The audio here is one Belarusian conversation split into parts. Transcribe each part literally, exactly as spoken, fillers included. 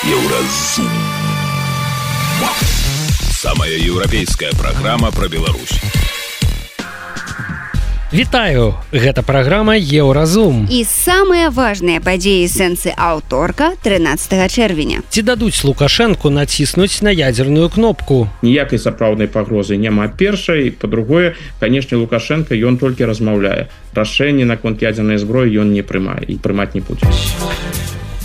Еўразум. Самая еўрапейская праграма пра Беларусь. Вітаю! Гэта праграма Еўразум. І самыя важныя падзеі сэнсы аўторка трынаццатага чэрвеня. Ці дадуць Лукашэнку націснуць на ядзерную кнопку? Ніякай сапраўднай пагрозы няма. Першай, па-другое, канешне, Лукашенко ён толькі размаўляе. Рашэнне наконт ядзернай зброі ён не прымае і прымаць не будзе.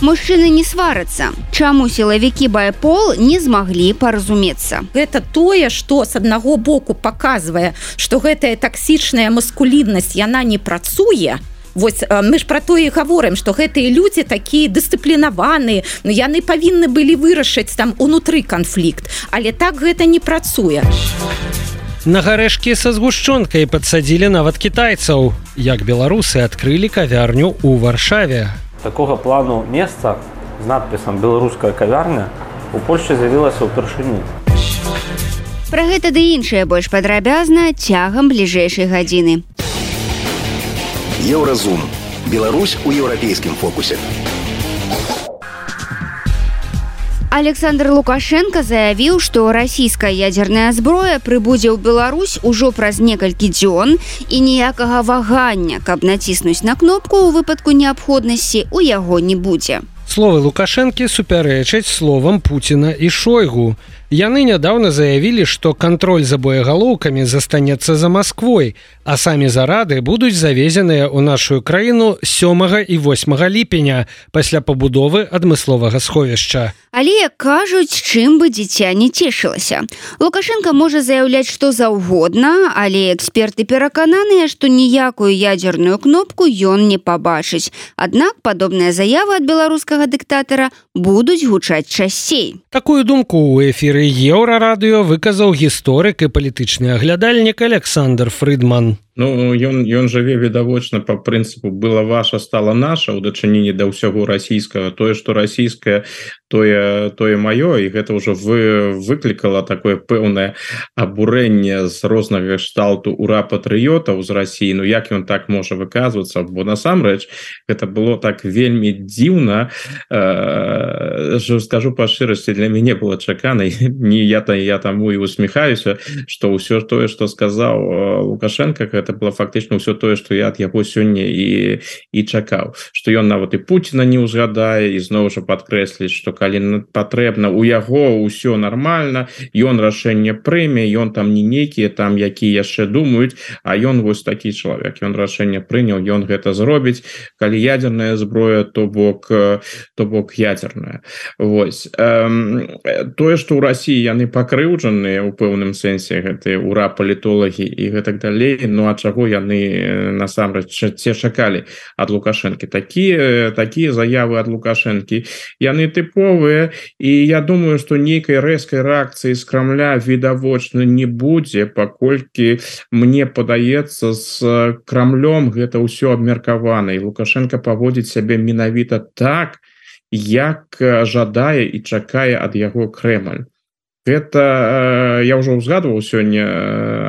Мужчыны не сварацца. Чаму сілавікі байпол не змаглі паразумецца? Гэта тое, што з аднаго боку паказвае, што гэтая таксічная маскуліннасць, яна не працуе. Вось мы ж пра тое і гаворым, што гэтыя людзі такія дысцыплінаваныя, ну яны павінны былі вырашыць там унутры канфлікт, але так гэта не працуе. На гарэшкі са згушчонкай падсадзілі нават кітайцаў. Як беларусы адкрылі кавярню ў Варшаве. Такога плану месца з надпісам «Беларуская кавярня» у Польшчы з'явілася ўпершыню. Пра гэта ды іншае больш падрабязна цягам бліжэйшай гадзіны. Еўразум. Беларусь у еўрапейскім фокусе. Александр Лукашенко заявіў, што расійская ядзерная зброя прыбудзе ў Беларусь ужо праз некалькі дзён і ніякага вагання, каб націснуць на кнопку ў выпадку неабходнасці у яго не будзе. Словы Лукашэнкі супярэчаць словам Пуціна і Шойгу. Яны нядаўна заявілі, што кантроль за боегалоўкамі застанецца за Масквой, а самі зарады будуць завезеныя ў нашу краіну сёмага і восьмага ліпеня пасля пабудовы адмысловага сховішча. Але кажуць, чым бы дзіця не цешылася. Лукашенко можа заяўляць што заўгодна, але эксперты перакананыя, што ніякую ядзерную кнопку ён не пабачыць. Аднак падобныя заявы ад беларускага дыктатара будуць гучаць часцей. Такую думку ў эфіры Еўрарадыё выказаў гісторык і палітычны аглядальнік Александр Фрыдман. Ну, ён, ён жыве відавочна па прынцыпу «была ваша, стала наша» ў дачыненні да ўсяго расійскага. Тое, што расійскае, тое, тое маё, і гэта ўжо вы, выклікала такое пэўнае абурэнне з рознага кшталту ура-патрыётаў з Расіі. Ну, як ён так можа выказвацца? Бо насамрэч гэта было так вельмі дзіўна. Э, скажу па шчырасці, для мяне было чакана, не я, я таму і усміхаюся, што ўсё тое, што сказаў Лукашенко, это было фактычна ўсё тое, што я ад яго сёння і, і чакаў. Што ён нават і Пуціна не ўзгадае, і зноў жа падкрэсліць, што калі патрэбна, у яго ўсё нармальна, ён рашэнне прыме, ён там не нейкія там, якія яшчэ думаюць, а ён вось такі чалавек. Ён рашэнне прыняў, ён гэта зробіць. Калі ядзерная зброя, то бок, то бок ядзерная. Вось. Эм, тое, што ў Расіі яны пакрыўджаныя ў пэўным сэнсе, гэтыя ура-палітолагі і гэтак далей, ну а чаго яны насамрэч ці чакалі ад Лукашэнкі. Такія, такія заявы ад Лукашэнкі, яны тыповыя, і я думаю, што нейкай рэзкай рэакцыі з Крамля відавочна не будзе, паколькі мне падаецца, з Крамлём гэта ўсё абмеркавана, і Лукашенко паводзіць сябе менавіта так, як жадае і чакае ад яго Крэмль. Гэта, я ўжо ўзгадваў сёння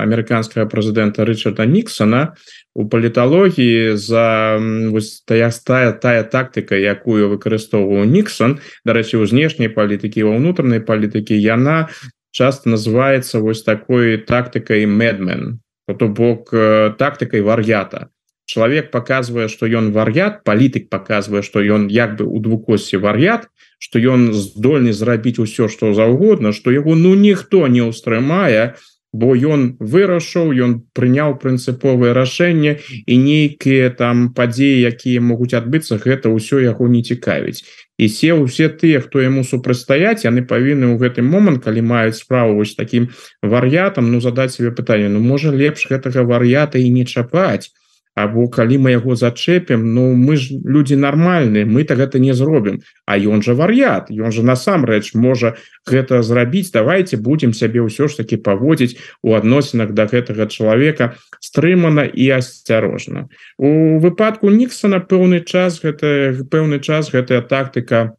амерыканскага прэзідэнта Рычарда Ніксона у паліталогіі за вось тая, тая, тая тактыка, якую выкарыстоўваў Ніксон, дарэчы, у знешняй палітыкі, ва ўнутранай палітыкі, яна часта называецца вось такой тактыкай мэдмен, то бок тактыкай вар'ята. Чалавек паказвае, што ён вар'ят, палітык паказвае, што ён як бы у двукосці вар'ят, што ён здольны зрабіць усё, што заўгодна, што яго ну ніхто не ўстрымае, бо ён вырашыў, ён прыняў прынцыповае рашэнне, і нейкія там падзеі, якія могуць адбыцца, гэта ўсё яго не цікавіць. І все, усе тыя, хто яму супрацьстаяць, яны павінны ў гэты момант, калі маюць справу вось такім вар'ятам, ну задаць себе пытанне, ну можа лепш гэтага вар'ята і не чапаць. Або калі мы яго зачэпім, ну мы ж людзі нармальныя, мы так гэта не зробім. А ён жа вар'ят, ён жа насамрэч можа гэта зрабіць. Давайте будзем сябе ўсё ж таки паводзіць у адносінах да гэтага чалавека стрымана і асцярожна. У выпадку Ніксона пэўны час, гэта, пэўны час гэтая тактыка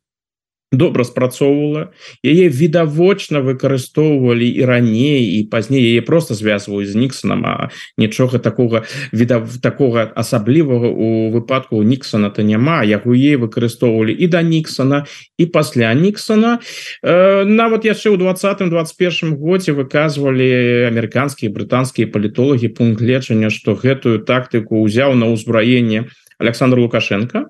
добра спрацоўвала, яе відавочна выкарыстоўвалі і раней і пазней, яе просто звязваюць з Ніксонам, а нічога такога віда такога асаблівага у выпадку Ніксона то няма, яго яе выкарыстоўвалі і да Ніксона і пасля Ніксона. Э, нават яшчэ ў двадцатым двадцать першым годзе выказвалі амерыканскія брытанскія палітолагі пункт гледжання, што гэтую тактыку ўзяў на ўзбраенне Александр Лукашенко.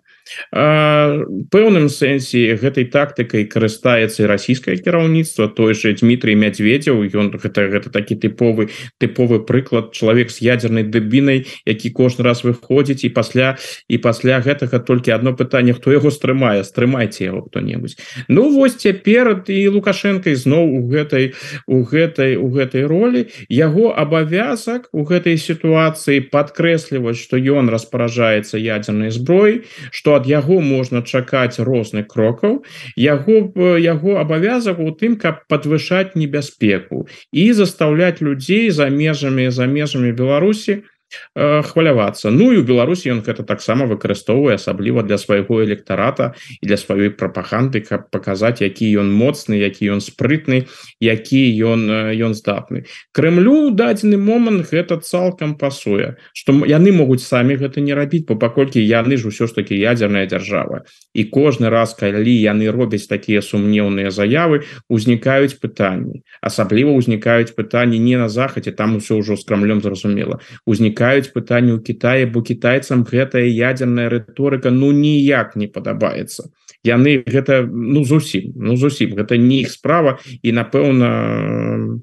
Пэўным сэнсе гэтай тактыкай карыстаецца і расійскае кіраўніцтва, той же Дмітрий Медведев, ён гэта, гэта такі тыповы тыповы прыклад, чалавек з ядзернай дыбінай, які кожны раз выходзіць і пасля і пасля гэтага толькі одно пытанне, хто яго стрымае, стрымайце яго хто-небудзь. Ну вось цяпер і Лукашенко ізноў у гэтай у гэтай у гэтай ролі. Яго абавязак у гэтай сітуацыі падкрэсліваць, што ён распараджаецца ядзернай зброяй, што ад яго можна чакаць розных крокаў. Яго яго абавязак у тым, каб падвышаць небяспеку і застаўляць людзей за межамі за межамі Беларусі э, хвалявацца. Ну і у Беларусі ён гэта таксама выкарыстоўвае, асабліва для свайго электарата і для сваёй прапаганды, каб паказаць, які ён моцны, які ён спрытны, які ён ён здатны. Крэмлю ў дадзены момант гэта цалкам пасуе, што яны могуць самі гэта не рабіць, бо паколькі яны ж усё ж такі ядзерная дзяржава. І кожны раз, калі яны робяць такія сумнеўныя заявы, узнікаюць пытанні. Асабліва узнікаюць пытанні не на захадзе, там усё ўжо з Крамлём зразумела. Узнікаюць пытанні ў Кітаі, бо кітайцам гэтая ядзерная рыторыка ну ніяк не падабаецца. Яны гэта ну зусім, ну зусім, гэта не іх справа і напэўна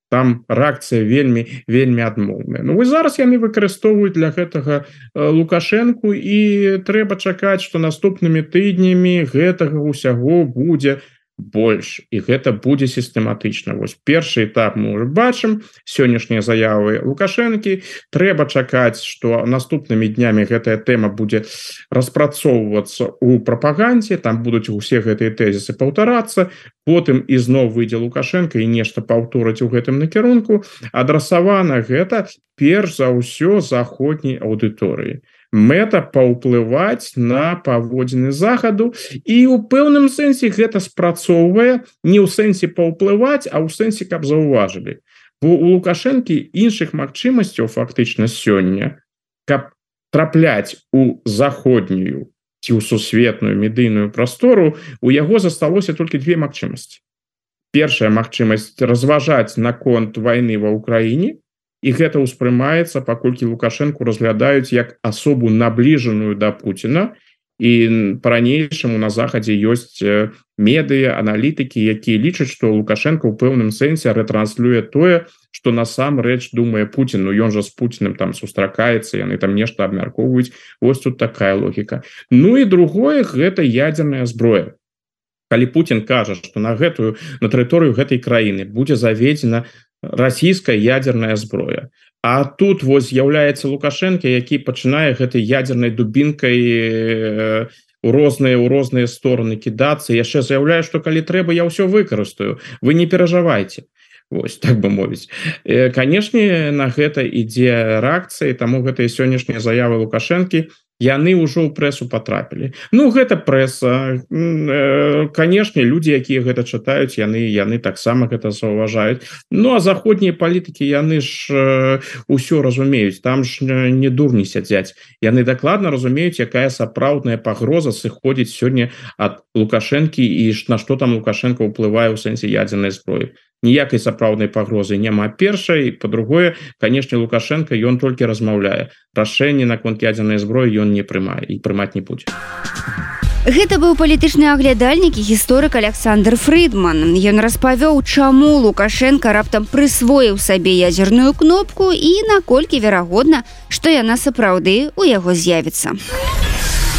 там рэакцыя вельмі вельмі адмоўная. Ну вось зараз яны выкарыстоўваюць для гэтага Лукашенку і трэба чакаць, што наступнымі тыднямі гэтага ўсяго будзе больш і гэта будзе сістэматычна. Вось першы этап мы ўжо бачым, сённяшнія заявы Лукашэнкі. Трэба чакаць, што наступнымі днямі гэтая тэма будзе распрацоўвацца ў прапагандзе, там будуць усе гэтыя тэзісы паўтарацца, потым ізноў выйдзе Лукашенко і нешта паўторыць у гэтым накірунку. Адрасавана гэта перш за ўсё заходняй аўдыторыі. Мэта паўплываць на паводзіны захаду і ў пэўным сэнсе гэта спрацоўвае не ў сэнсе паўплываць, а ў сэнсе каб заўважылі. Бо у Лукашэнкі іншых магчымасцяў фактычна сёння, каб трапляць у заходнюю ці ў сусветную медыйную прастору, у яго засталося толькі две магчымасці. Першая магчымасць разважаць наконт вайны ва ўкраіне, і гэта ўспрымаецца, паколькі Лукашэнку разглядаюць як асобу набліжаную да Пуціна, і па-ранейшаму на захадзе ёсць медыа, аналітыкі, якія лічаць, што Лукашенко ў пэўным сэнсе рэтранслюе тое, што насамрэч думае Пуцін. Ну ён жа з Пуцінам там сустракаецца, яны там нешта абмяркоўваюць. Вось тут такая логіка. Ну і другое, гэта ядзерная зброя. Калі Пуцін кажа, што на гэтую на тэрыторыю гэтай краіны будзе заведзена расійская ядерная зброя. А тут вось з'яўляецца Лукашенко, які пачынае гэтай ядернай дубінкай у розныя у розныя стороны кідацца, яшчэ заяўляе, што калі трэба, я ўсё выкарыстаю, вы не перажывайце. Вось, так бы мовіць. Канешне, на гэта ідзе рэакцыя, таму гэтыя сённяшнія заявы Лукашэнкі яны ўжо ў прэсу патрапілі. Ну гэта прэса, канешне, людзі, якія гэта чытаюць, яны яны таксама гэта заўважаюць. Ну а заходнія палітыкі яны ж усё разумеюць, там ж не дурні сядзяць. Яны дакладна разумеюць, якая сапраўдная пагроза сыходзіць сёння ад Лукашэнкі і на што там Лукашенко ўплывае ў сэнсе ядзернай зброі. Ніякай сапраўднай пагрозы няма. Першай, па-другое, канешне, Лукашенко ён толькі размаўляе. Рашэнне наконт ядзернай зброі ён не прымае і прымаць не будзе. Гэта быў палітычны аглядальнік і гісторык Александр Фрыдман. Ён распавёў, чаму Лукашенко раптам прысвоіў сабе ядзерную кнопку і наколькі верагодна, што яна сапраўды ў яго з'явіцца.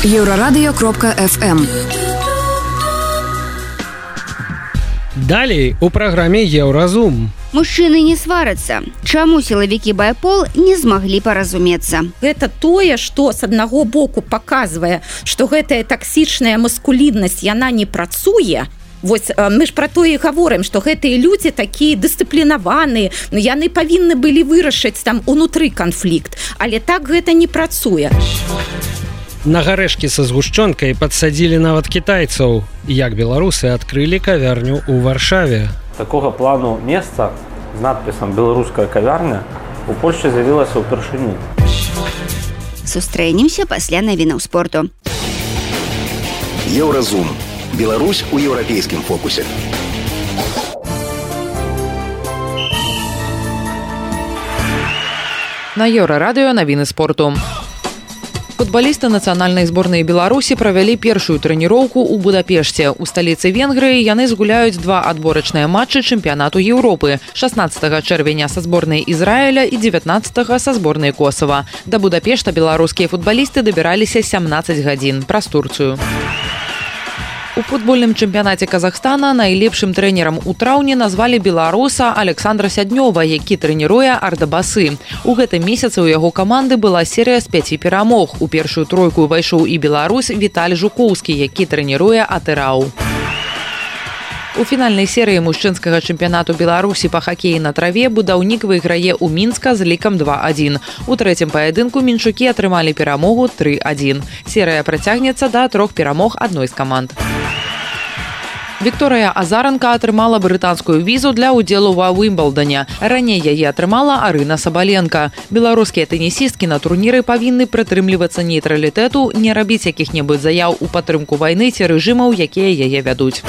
еўрарадыё кропка эф эм. Далей у праграме Еўразум. Мужчыны не сварацца. Чаму сілавікі байпол не змаглі паразумецца? Гэта тое, што з аднаго боку паказвае, што гэтая таксічная маскуліннасць яна не працуе. Вось мы ж пра тое і гаворым, што гэтыя людзі такія дысцыплінаваныя, яны павінны былі вырашыць там унутры канфлікт, але так гэта не працуе. На гарэшкі са згушчонкай падсадзілі нават кітайцаў. Як беларусы адкрылі кавярню ў Варшаве. Такога плану месца з надпісам «Беларуская кавярня» у Польшчы з'явілася ўпершыню. Сустрэнемся пасля навінаў спорту. Еўразум. Беларусь у еўрапейскім фокусе. На Еўрарадыё навіны спорту. Футбалісты нацыянальнай зборнай Беларусі правялі першую трэніроўку ў Будапешце. У сталіцы Венгрыі яны згуляюць два адборачныя матчы чэмпіянату Еўропы. шаснаццатага чэрвеня са зборнай Ізраіля і дзевятнаццатага са зборнай Косава. Да Будапешта беларускія футбалісты дабіраліся сямнаццаць гадзін праз Турцыю. У футбольным чэмпіянаце Казахстана найлепшым трэнерам у траўні назвалі беларуса Александра Сяднёва, які трэніруе Ардабасы. У гэтым месяцы ў яго каманды была серыя з пяці перамог. У першую тройку ўвайшоў і беларус Віталь Жукоўскі, які трэніруе Атырау. У фінальнай серыі мужчынскага чэмпіянату Беларусі па хакеі на траве будаўнік выйграе ў Мінска з лікам два адзін. У трэцім паядынку мінчукі атрымалі перамогу тры адзін. Серыя працягнецца да трох перамог адной з каманд. Вікторыя Азаранка атрымала брытанскую візу для ўдзелу ва Уімблдане. Раней яе атрымала Арына Сабаленка. Беларускія тэнісісткі на турніры павінны прытрымлівацца нейтралітэту, не рабіць якіх-небудзь заяў у падтрымку вайны ці рэжымаў, якія яе вядуць.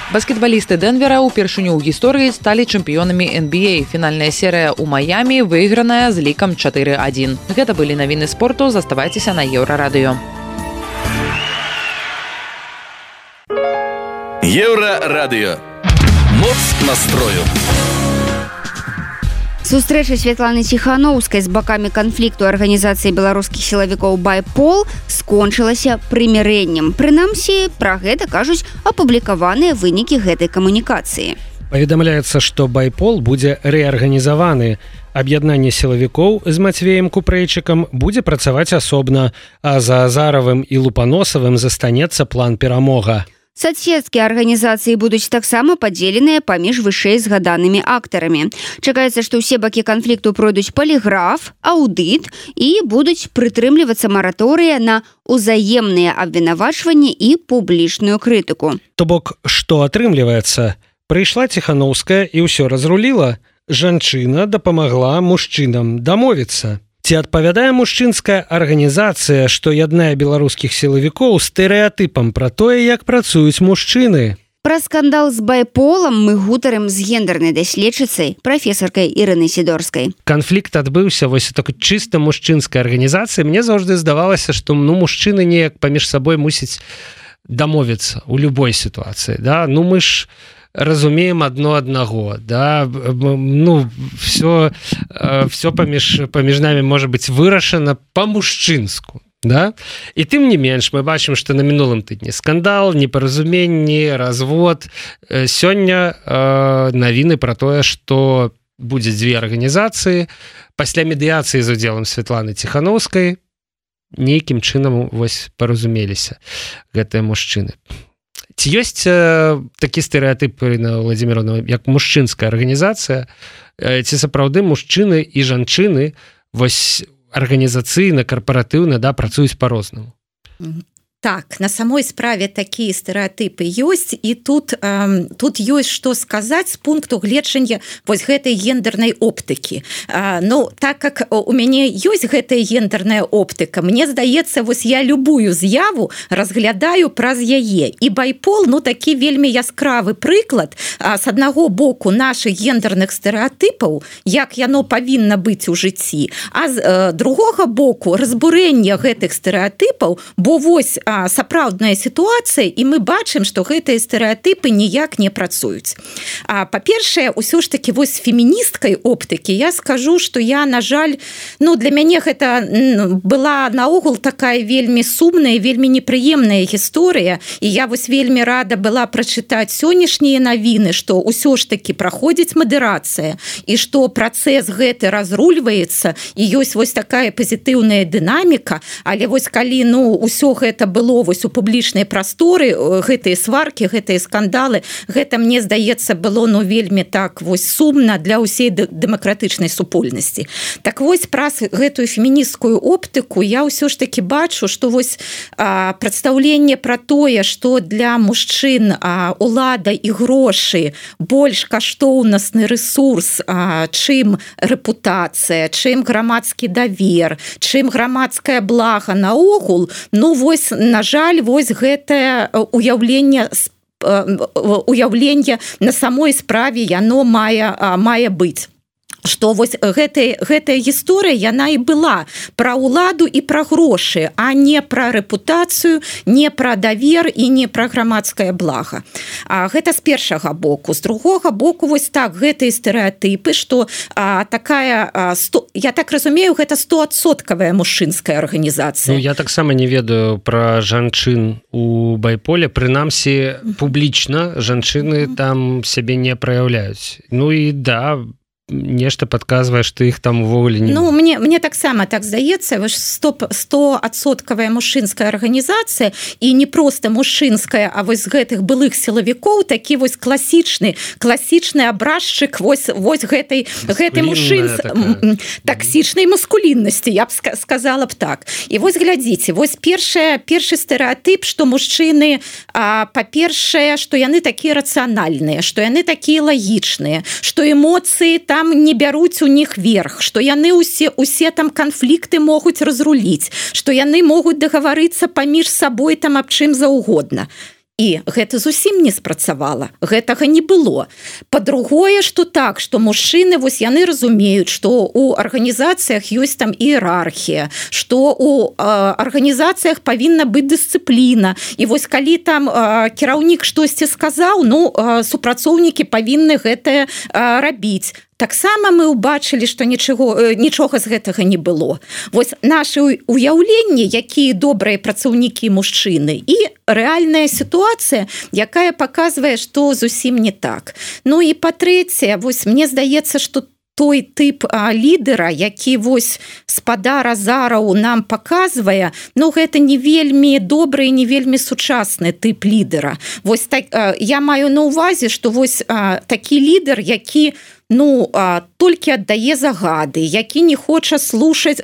Баскетбалісты Дэнвера ўпершыню ў гісторыі сталі чэмпіёнамі эн би эй. Фінальная серыя ў Маямі выйграная з лікам чатыры адзін. Гэта былі навіны спорту. Заставайцеся на Еўрарадыё. Еўрарадыё. Моц настрою. Сустрэча Святланы Ціханаўскай з бакамі канфлікту арганізацыі беларускіх сілавікоў «Байпол» скончылася прымірэннем. Прынамсі, пра гэта кажуць апублікаваныя вынікі гэтай камунікацыі. Паведамляецца, што «Байпол» будзе рэарганізаваны. Аб'яднанне сілавікоў з Мацвеем Купрэйчыкам будзе працаваць асобна, а за Азаравым і Лупаносавым застанецца план перамога. Соцсеткі арганізацыі будуць таксама падзеленыя паміж вышэй згаданымі актарамі. Чакаецца, што ўсе бакі канфлікту пройдуць паліграф, аўдыт і будуць прытрымлівацца мараторыя на ўзаемныя абвінавачванні і публічную крытыку. То бок, што атрымліваецца? Прыйшла Ціханаўская і ўсё разруліла. Жанчына дапамагла мужчынам дамовіцца. Ці адпавядае мужчынская арганізацыя, што яднае беларускіх сілавікоў стэрэатыпам пра тое, як працуюць мужчыны? Пра скандал з «Байполам» мы гутарым з гендернай даследчыцай, прафесаркай Ірынай Сідорскай. Канфлікт адбыўся вось такой чыста мужчынскай арганізацыі. Мне заўжды здавалася, што ну мужчыны неяк паміж сабой мусіць дамовіцца ў любой сітуацыі. Да? Ну мы ж разумеем одно аднаго, да, ну все все паміж паміж нами можа быць вырашана по-мужчынску, да, і тым не менш мы бачым, што на мінулым тыдні скандал, непаразуменні, развод. Сёння э, навіны пра тое, што будзе дзве арганізацыі пасля медыяцыі з удзелам Святланы Ціханаўскай нейкім чынам вось паразумеліся гэтыя мужчыны. Ці ёсць э, такі стэрэатып, Ірына Владзіміровна, як мужчынская арганізацыя, э, ці сапраўды мужчыны і жанчыны вось арганізацыйна, карпаратыўна, да, працуюць па-рознаму? Так, на самой справе такія стэрэатыпы ёсць, і тут, э, тут ёсць што сказаць з пункту гледжання вось гэтай гендернай оптыкі. Э, ну, так как у мяне ёсць гэтая гендерная оптыка, мне здаецца, вось я любую з'яву разглядаю праз яе. І «Байпол», ну, такі вельмі яскравы прыклад, э, з аднаго боку нашых гендерных стэрэатыпаў, як яно павінна быць у жыцці, а з э, другога боку разбурэння гэтых стэрэатыпаў, бо вось сапраўдная сітуацыя, і мы бачым, што гэтыя стэрэатыпы ніяк не працуюць. А, па-першае, усё ж такі вось феміністкай оптыкі я скажу, што я, на жаль, ну, для мяне гэта была наогул такая вельмі сумная, вельмі непрыемная гісторыя, і я вось вельмі рада была прачытаць сённяшнія навіны, што ўсё ж такі праходзіць мадэрацыя, і што працэс гэты разрульваецца, і ёсць вось такая пазітыўная дынаміка, але вось калі, ну, усё гэта было было вось у публічнай прасторы, гэтыя сваркі, гэтыя скандалы, гэта, мне здаецца, было ну вельмі так вось сумна для ўсей дэмакратычнай супольнасці. Так вось праз гэтую фемінісцкую оптыку я ўсё ж таки бачу, што вось а, прадстаўленне пра тое, што для мужчын а, улада і грошы больш каштоўнасны ресурс, а, чым рэпутацыя, чым грамадскі давер, чым грамадскае блага наогул, ну вось, на жаль, вось гэтае уяўленне уяўленне на самой справе яно мае, мае быць. Што вось гэтая, гэтая гісторыя, яна і была пра ўладу і пра грошы, а не пра рэпутацыю, не пра давер і не пра грамадскае блага. А, гэта з першага боку. З другога боку, вось так, гэтыя стэрэатыпы, што а, такая, а, сто, я так разумею, гэта стоадсоткавая мужчынская арганізацыя. Ну, я таксама не ведаю пра жанчын у байполе, прынамсі публічна жанчыны там сябе не праяўляюць. Ну і да, нешта падказвае, што іх там увогуле не... Ну, мне, мне таксама так здаецца, стоадсоткавая мужчынская арганізацыя, і не проста мужчынская, а вось з гэтых былых сілавікоў такі вось класічны, класічны абразчык вось, вось гэтай, гэтай мужчын... таксічнай маскуліннасці, я б сказала б так. І вось глядзіце, вось першая, першы стэрэатып, што мужчыны, а, па-першае, што яны такія рацыянальныя, што яны такія лагічныя, што эмоцыі там там не бяруць у них верх, што яны усе, усе там канфлікты могуць разруліць, што яны могуць дагаварыцца паміж сабой там аб чым заўгодна. І гэта зусім не спрацавала, гэтага не было. Па-другое, што так, што мужчыны, вось яны разумеюць, што у арганізацыях ёсць там іерархія, што у э, арганізацыях павінна быць дысцыпліна. І вось калі там э, кіраўнік штосьці сказаў, ну, э, супрацоўнікі павінны гэтае э, рабіць. Таксама мы ўбачылі, што нічого, нічога з гэтага не было. Вось нашы уяўленні, якія добрыя працаўнікі мужчыны, і рэальная сітуацыя, якая паказвае, што зусім не так. Ну і па-трэцяе, вось мне здаецца, што той тып а, лідера, які вось спадар Азараў нам паказвае, ну гэта не вельмі добры і не вельмі сучасны тып лідера. Вось так, а, я маю на ўвазе, што вось а, такі лідар, які ну, а, толькі аддае загады, які не хоча слушаць,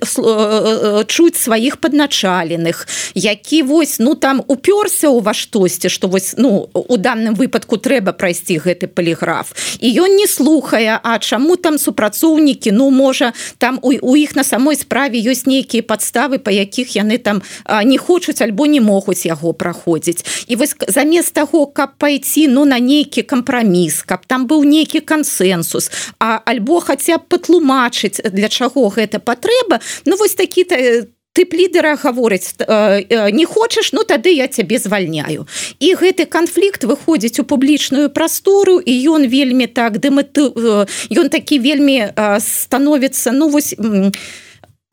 чуць сваіх падначаленых, які вось, ну, там упёрся ў ва штосьці, што вось, ну, у данным выпадку трэба прайсці гэты паліграф. І ён не слухае, а чаму там супрацоўнікі, ну, можа, там у, у іх на самой справе ёсць нейкія падставы, па якіх яны там а, не хочуць альбо не могуць яго праходзіць. І вось замест таго, каб пайці, ну, на нейкі кампраміс, каб там быў нейкі кансэнсус, а альбо хаця б патлумачыць, для чаго гэта патрэба, ну вось такі тып лідера гаворыць, не хочаш, ну тады я цябе звальняю. І гэты канфлікт выходзіць у публічную прастору, і ён вельмі так дэматы... ён такі вельмі становіцца, ну вось...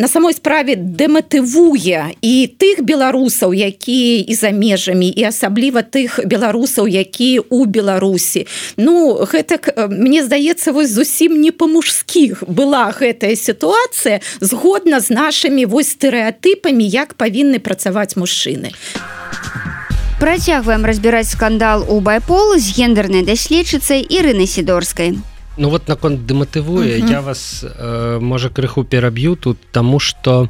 на самой справе дэматывуе і тых беларусаў, якія і за межамі, і асабліва тых беларусаў, якія ў Беларусі. Ну, гэта, мне здаецца, вось зусім не па-мужскіх была гэтая сітуацыя згодна з нашымі вось стэрэатыпамі, як павінны працаваць мужчыны. Працягваем разбіраць скандал у байпол з гендернай даследчыцай Ірынай Сідорскай. Ну вот наконт дэматывуе, uh-huh. я вас, э, можа, крыху пераб'ю тут, таму што,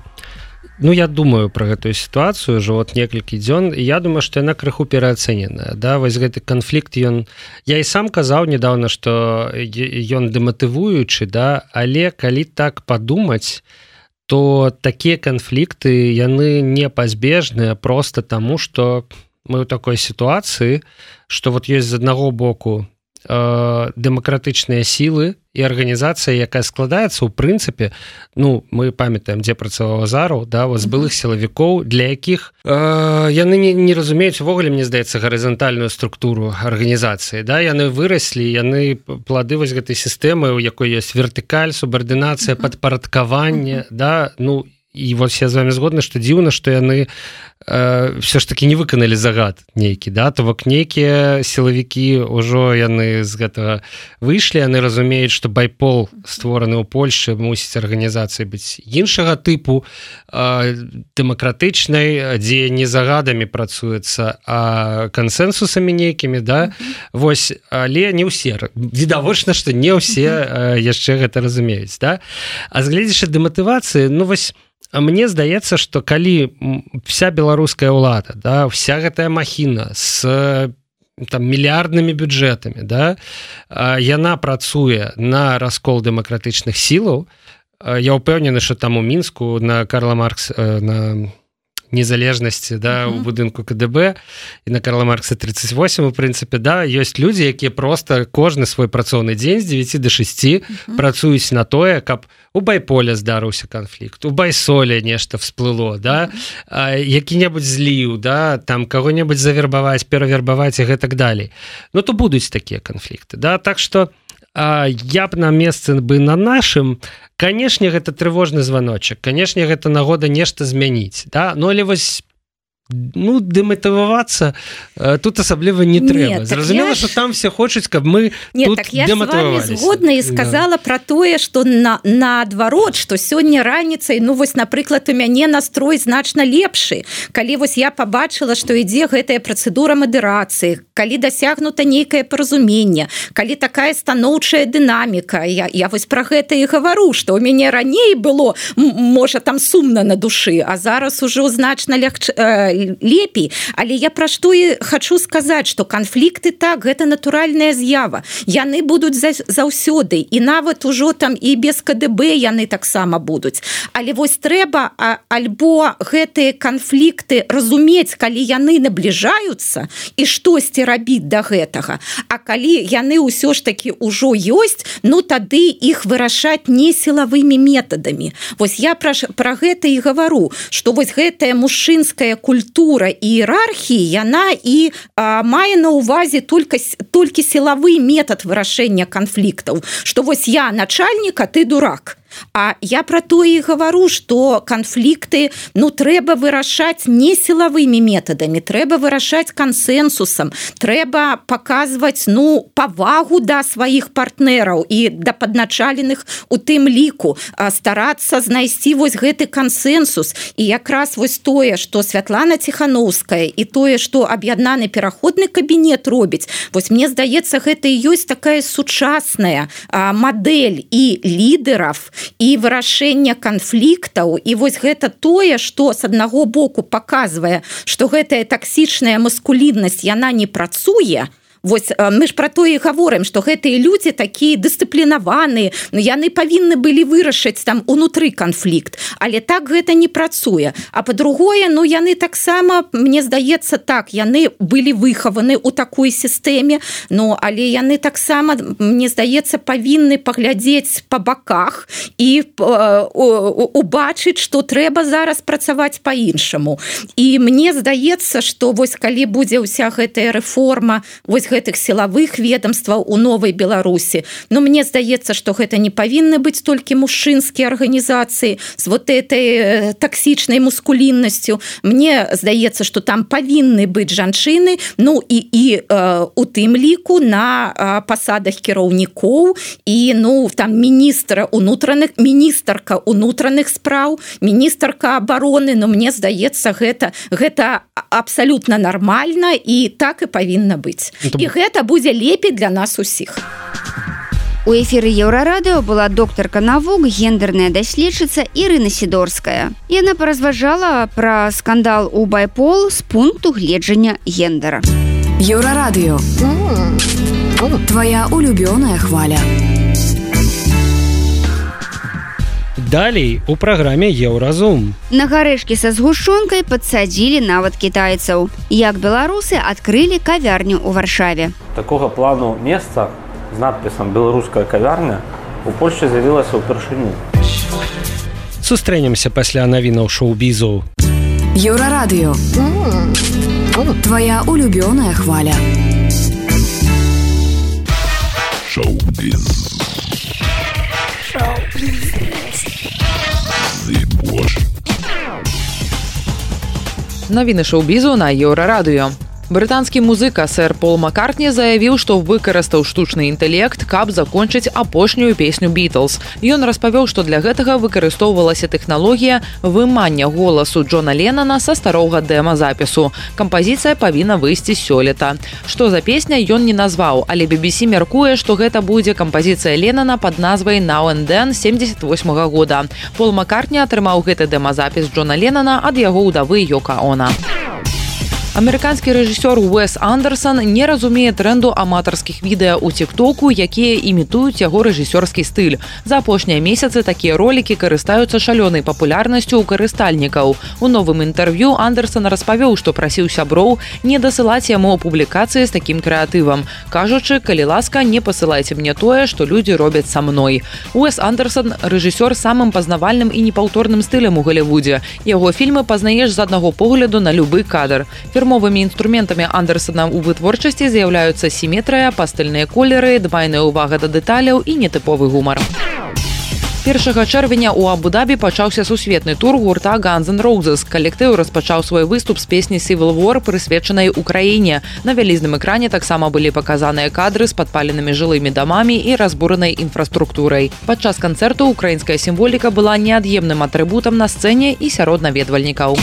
ну, я думаю пра гэтую сітуацыю ўжо вот некалькі дзён, і я думаю, што яна крыху пераацэненая, да, вось гэты канфлікт, ён, я і сам казаў недавно, што ён дэматывуючы, да, але калі так падумаць, то такія канфлікты, яны непазбежныя проста таму, што мы ў такой сітуацыі, што вот ёсць з аднаго боку дэмакратычныя сілы і арганізацыя, якая складаецца ў прынцыпе, ну, мы памятаем, дзе працаваў Азараў, да, з былых сілавікоў, для якіх э, яны не, не разумеюць увогуле, мне здаецца, гарызантальную структуру арганізацыі, да, яны выраслі, яны плады вось гэтай сістэмы, у якой ёсць вертыкаль, субардынацыя, падпарадкаванне, да, ну, і вот я з вами згодны, што дзіўна, што яны э, все ж таки не выканалі загад нейкі, да, то бок нейкія сілавікі ўжо яны з гэтага выйшлі, яны разумеюць, што байпол створаны ў Польшы, мусіць арганізацыі быць іншага тыпу, э, дэмакратычнай, дзе не загадамі працуецца, а кансенсусамі нейкімі, да, вось, але не ўсе, відавочна, што не ўсе э, яшчэ гэта разумеюць, да, а згледзячы дэматывацыі, ну вось, мне здаецца, што калі вся беларуская ўлада, да, вся гэтая махіна з там мільярднымі бюджэтамі, да, яна працуе на раскол дэмакратычных сілаў, я ўпэўнены, што там у Мінску на Карла Маркс, на незалежнасці, да, у будынку КДБ і на Карла Маркса тридцать восемь, у прынцыпе, да, ёсць людзі, якія просто кожны свой працоўны дзень з девяти до шести працуюць на тое, каб у байполе здарыўся канфлікт, у байсоле нешта всплыло, да, які-небудзь зліў, да, там каго-небудзь завербаваць, перавербаваць і гэтак далей. Ну, то будуць такія канфлікты, да, так што я б на месцы бы на нашым, канешне, гэта трывожны званочак, канешне, гэта нагода нешта змяніць, да, ну, але вось ну, дэматывавацца тут асабліва не трэба. Зразумела, што там все хочуць, каб мы Нет, тут так я з вами згодна і сказала да. Пра тое, што на, наадварот, што сёння раніцай, ну вось, напрыклад, у мяне настрой значна лепшы. Калі вось я пабачыла, што ідзе гэтая працэдура мадэрацыі, калі дасягнута нейкае паразуменне, калі такая станоўчая дынаміка, я, я вось пра гэта і гавару, што ў мяне раней было, можа, там сумна на душы, а зараз ужо значна легче лепей, але я пра што і хачу сказаць, што канфлікты так, гэта натуральная з'ява. Яны будуць заўсёды, і нават ужо там і без КДБ яны таксама будуць. Але вось трэба а, альбо гэтыя канфлікты разумець, калі яны набліжаюцца і штосьці рабіць да гэтага. А калі яны ўсё ж такі ўжо ёсць, ну тады іх вырашаць не сілавымі метадамі. Вось я пра, пра гэта і гавару, што вось гэтая мужчынская культура культура і іерархіі, яна і а, мае на ўвазе толькі, толькі сілавы метад вырашэння канфліктаў, што вось я начальнік, а ты дурак. А я пра тое і гавару, што канфлікты, ну, трэба вырашаць не сілавымі метадамі, трэба вырашаць кансенсусам, трэба паказваць, ну, павагу да сваіх партнераў і да падначаленых у тым ліку, старацца знайсці вось гэты кансенсус. І якраз вось тое, што Святлана Ціхановская і тое, што аб'яднаны пераходны кабінет робіць, вось мне здаецца, гэта і ёсць такая сучасная а, мадэль і лідараў, і вырашэння канфліктаў, і вось гэта тое, што з аднаго боку паказвае, што гэтая таксічная маскуліннасць, яна не працуе. Вось мы ж пра тое і гаворым, што гэтыя людзі такія дысцыплінаваныя, ну, яны павінны былі вырашыць там унутры канфлікт, але так гэта не працуе. А па-другое, ну, яны таксама, мне здаецца так, яны былі выхаваны ў такой сістэме, ну, але яны таксама, мне здаецца, павінны паглядзець па баках і убачыць, што трэба зараз працаваць па-іншаму. І мне здаецца, што вось калі будзе ўся гэтая рэформа, вось гэтых сілавых ведомстваў у новай Беларусі. Но мне здаецца, што гэта не павінны быць толькі мужчынскія арганізацыі з вот этой таксічнай мускуліннасцю. Мне здаецца, што там павінны быць жанчыны, ну і, і э, у тым ліку на э, пасадах кіраўнікоў і ну там міністра унутраных, міністрка унутраных спраў, міністрка абароны, но мне здаецца, гэта, гэта абсалютна нармальна і так і павінна быць. І гэта будзе лепей для нас усіх. У эфіры Еўрарадыо была доктарка навук, гендерная даследчыца Ірына Сідорская. Яна паразважала пра скандал у байпол з пункту гледжання гендера. Еўрарадыо. Твоя улюбёная хваля. Далей у праграме Еўразум. На гарэшкі са згушчонкай падсадзілі нават кітайцаў. Як беларусы адкрылі кавярню ў Варшаве. Такога плану месца з надпісам «Беларуская кавярня» у Польшчы з'явілася ўпершыню. Сустрэнемся пасля навінаў шоу-бізу. Еўрарадыо. Твоя улюбёная хваля. Шоу-біз. Шоу-біз. The Wash. Навіны шоу-бізу на Еўрарадыё. Брытанскі музыка сэр Пол Маккартні заявіў, што выкарыстаў штучны інтэлект, каб закончыць апошнюю песню Beatles. Ён распавёў, што для гэтага выкарыстоўвалася тэхналогія вымання голасу Джона Леннона са старога дэма-запісу. Кампазіцыя павінна выйсці сёлета. Што за песня, ён не назваў, але би би сі мяркуе, што гэта будзе кампазіцыя Леннона пад назвай «Now and Then» семьдесят восьмага года. Пол Маккартні атрымаў гэты дэма-запіс Джона Леннона ад яго ўдавы Йока Оно. Амерыканскі рэжысёр Уэс Андерсон не разумее трэнду аматарскіх відэа ў тик-току, якія імітуюць яго рэжысёрскі стыль. За апошнія месяцы такія ролікі карыстаюцца шалёнай папулярнасцю ў карыстальнікаў. У новым інтэрв'ю Андерсон распавёў, што прасіў сяброў не дасылаць яму публікацыі з такім крэатывам, кажучы, калі ласка, не пасылайце мне тое, што людзі робяць са мной. Уэс Андерсон – рэжысёр самым пазнавальным і непаўторным стылем у Галівудзе. Яго фільмы пазнаеш з аднаго погляду на любы кадр. Фірмовымі інструментамі Андерсона ў вытворчасці з'яўляюцца сіметрыя, пастэльныя колеры, дбайная ўвага да дэталяў і нетыповы гумар. першага чэрвеня ў Абу-Дабі пачаўся сусветны тур гурта Guns N' Roses. Калектыў распачаў свой выступ з песні Civil War, прысвечанай Украіне. На вялізным экране таксама былі паказаныя кадры з падпаленымі жылымі дамамі і разбуранай інфраструктурай. Падчас канцэрту украінская сімволіка была неад'емным атрыбутам на сцэне і сярод наведвальнікаў.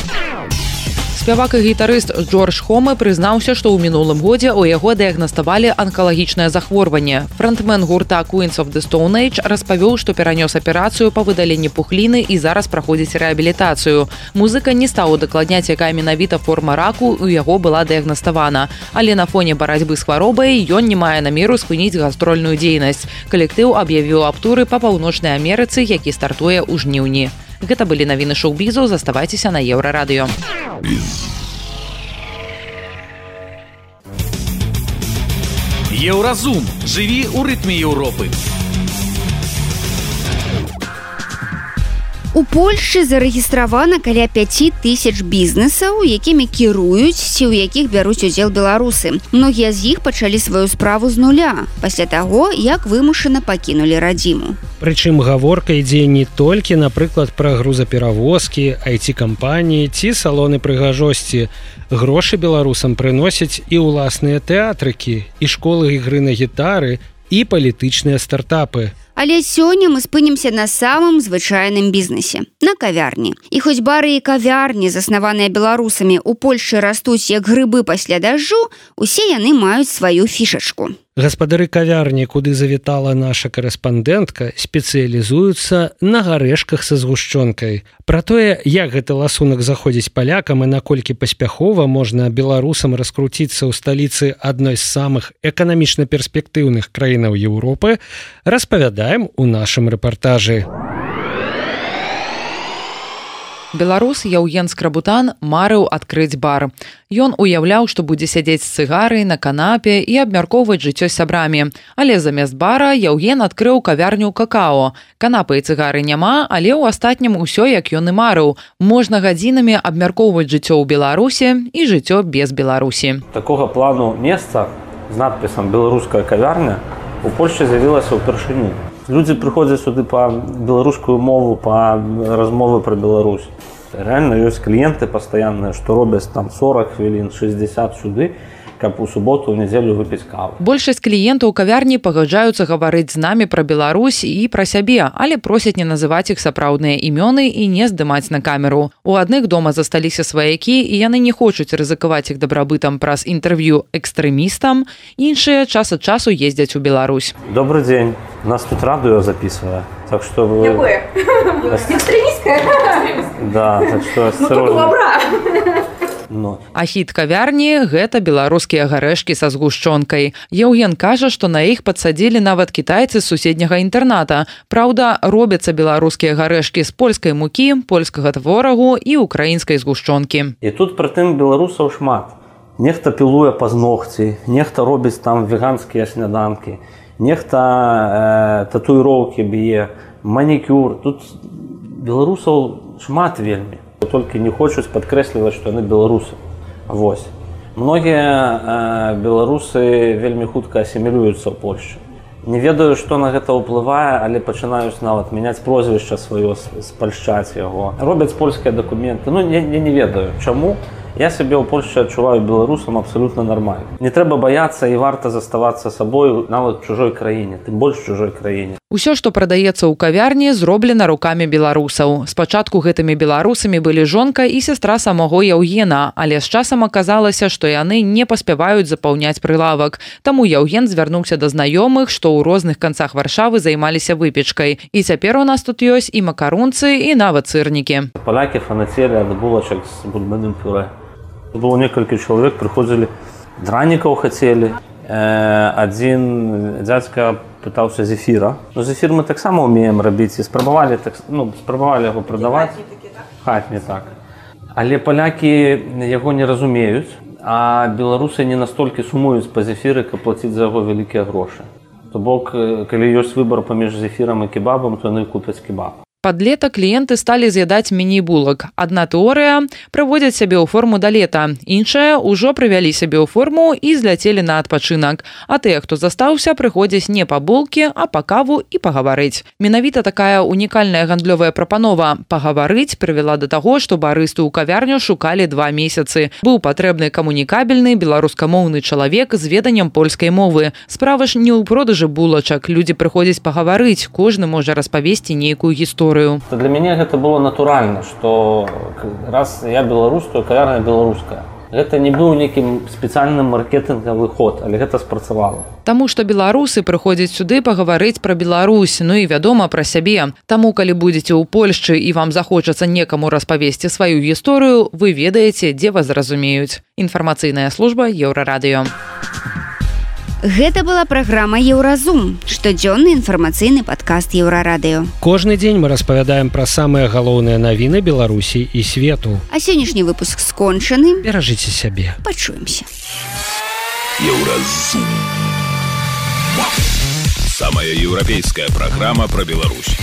Спявак і гітарыст Джордж Хомы прызнаўся, што ў мінулым годзе ў яго дыягнаставалі анкалагічнае захворванне. Франтмен гурта Queens of the Stone Age распавёў, што перанёс аперацыю па выдаленні пухліны і зараз праходзіць рэабілітацыю. Музыка не стаў удакладняць, якая менавіта форма раку ў яго была дыягнаставана. Але на фоне барацьбы з хваробай ён не мае намеру спыніць гастрольную дзейнасць. Калектыў аб'явіў аб туры па Паўночнай Амерыцы, які стартуе ў жніўні. Гэта былі навіны шоу-бізу, заставайцеся на Еўрарадыё. Еўразум. Жыві ў рытме Еўропы. У Польшчы зарэгістравана каля пяці тысяч бізнесаў, якімі кіруюць ці ў якіх бяруць удзел беларусы. Многія з іх пачалі сваю справу з нуля, пасля таго, як вымушана пакінулі радзіму. Прычым гаворка ідзе не толькі, напрыклад, пра грузаперавозкі, ай ти-кампаніі ці салоны прыгажосці. Грошы беларусам прыносяць і ўласныя тэатрыкі, і школы ігры на гітары, і палітычныя стартапы. Але сёння мы спынімся на самым звычайным бізнесе – на кавярні. І хоць бары і кавярні, заснаваныя беларусамі, у Польшчы растуць як грыбы пасля дажджу, усе яны маюць сваю фішачку. Гаспадары кавярні, куды завітала наша корэспандэнтка, спецыялізуюцца на гарэшках са згушчонкай. Пра тое, як гэты ласунак заходзіць палякам і наколькі паспяхова можна беларусам раскруціцца ў сталіцы адной з самых эканамічна перспектыўных краінаў Еўропы, распавядаем у нашым рэпартажы. Беларус Яўген Скрабутан марыў адкрыць бар. Ён уяўляў, што будзе сядзець з цыгарай на канапе і абмяркоўваць жыццё з сябрамі. Але замест бара Яўген адкрыў кавярню «Какао». Канапы і цыгары няма, але ў астатнім усё, як ён і марыў. Можна гадзінамі абмяркоўваць жыццё ў Беларусі і жыццё без Беларусі. Такога плану месца з надпісам «Беларуская кавярня» у Польшчы з'явілася ўпершыню. Людзі прыходзяць сюды па беларускую мову, па размовы пра Беларусь. Реально ёсць кліенты пастаянныя, што робяць там сорок хвілін, шэсцьдзесят сюды, каб у суботу, ў нядзелю выпіць каву. Большасць кліентаў кавярні пагаджаюцца гаварыць з намі пра Беларусь і пра сябе, але просяць не называць іх сапраўдныя імёны і не здымаць на камеру. У адных дома засталіся сваякі, і яны не хочуць рызыкаваць іх дабрабытам праз інтэрв'ю экстрэмістам, іншыя час ад часу ездзяць у Беларусь. Добрый дзень. Нас тут радыё записывае. Так что вы... Якое? Экстремистское? Да, так что... Ну, только лабра. Ну. А хіт кавярні – гэта беларускія гарэшкі са згушчонкай. Яўген кажа, што на іх падсадзілі нават кітайцы з суседняга інтэрната. Праўда, робяцца беларускія гарэшкі з польскай мукі, польскага творагу і украінскай згушчонкі. І тут прытым беларусаў шмат. Нехта пілуе пазногці, нехта робіць там веганскія сняданкі, нехта э, татуіроўкі б'е, манікюр. Тут беларусаў шмат вельмі. Толькі не хочуць падкрэсліваць, што яны беларусы. Вось. Многія э, беларусы вельмі хутка асімілююцца ў Польшчы. Не ведаю, што на гэта ўплывае, але пачынаюць нават мяняць прозвішча сваё, спальшчаць яго. Робяць польскія дакументы. Ну, я, я не ведаю, чаму Я себе ў Польшчы адчуваю беларусам абсолютно нормально. Не трэба баяцца і варта заставацца сабой нават чужой краіне, тым больш чужой краіне. Усё, што прадаецца ў кавярні, зроблена рукамі беларусаў. Спачатку гэтымі беларусамі былі жонка і сястра самого Яўгена, але з часам аказалася, што яны не паспяваюць запаўняць прылавак. Таму Яўген звярнуўся да знаёмых, што ў розных канцах Варшавы займаліся выпечкай. І цяпер у нас тут ёсць і макарунцы, і нават сырнікі. Палякі фанацелі ад булачак з бульбаным пюрэ. Было некалькі чалавек, прыходзілі, дранікаў хацелі. Адзін дзядзька пытаўся зефіра. Ну, зефір мы таксама ўмеем рабіць і спрабавалі, так, ну, спрабавалі яго прадаваць. Хатні, так. Але палякі яго не разумеюць, а беларусы не настолькі сумуюць па зефіры, каб плаціць за яго вялікія грошы. То бок, калі ёсць выбар паміж зефірам і кебабам, то яны купяць кебаб. Пад лета кліенты сталі з'ядаць міні-булак. Адна тэорыя – прыводзяць сябе ў форму да лета. Іншая – ўжо прывялі сябе ў форму і зляцелі на адпачынак. А тыя, хто застаўся, прыходзяць не па булкі, а па каву і пагаварыць. Менавіта такая унікальная гандлёвая прапанова «пагаварыць» прывяла да таго, што барысту ў кавярню шукалі два месяцы. Быў патрэбны камунікабельны беларускамоўны чалавек з веданнем польскай мовы. Справа ж не ў продажы булачак. Людзі прыходзяць пагаварыць, кожны можа распавесці нейкую гісторыю. Для мяне гэта было натуральна, што раз я беларус, то кавярня беларуская. Гэта не быў нейкім спецыяльным маркетынгавы ход, але гэта спрацавала. Таму што беларусы прыходзяць сюды пагаварыць пра Беларусь, ну і, вядома, пра сябе. Таму, калі будзеце ў Польшчы і вам захочацца некаму распавесці сваю гісторыю, вы ведаеце, дзе вас зразумеюць. Інфармацыйная служба Еўрарадыё. Гэта была праграма «Еўразум», штодзённы інфармацыйны падкаст Еўрарадыё. Кожны дзень мы распавядаем пра самыя галоўныя навіны Беларусі і свету. А сённяшні выпуск скончаны. Беражыце сябе. Пачуемся. Еўразум. Самая еўрапейская праграма пра Беларусь.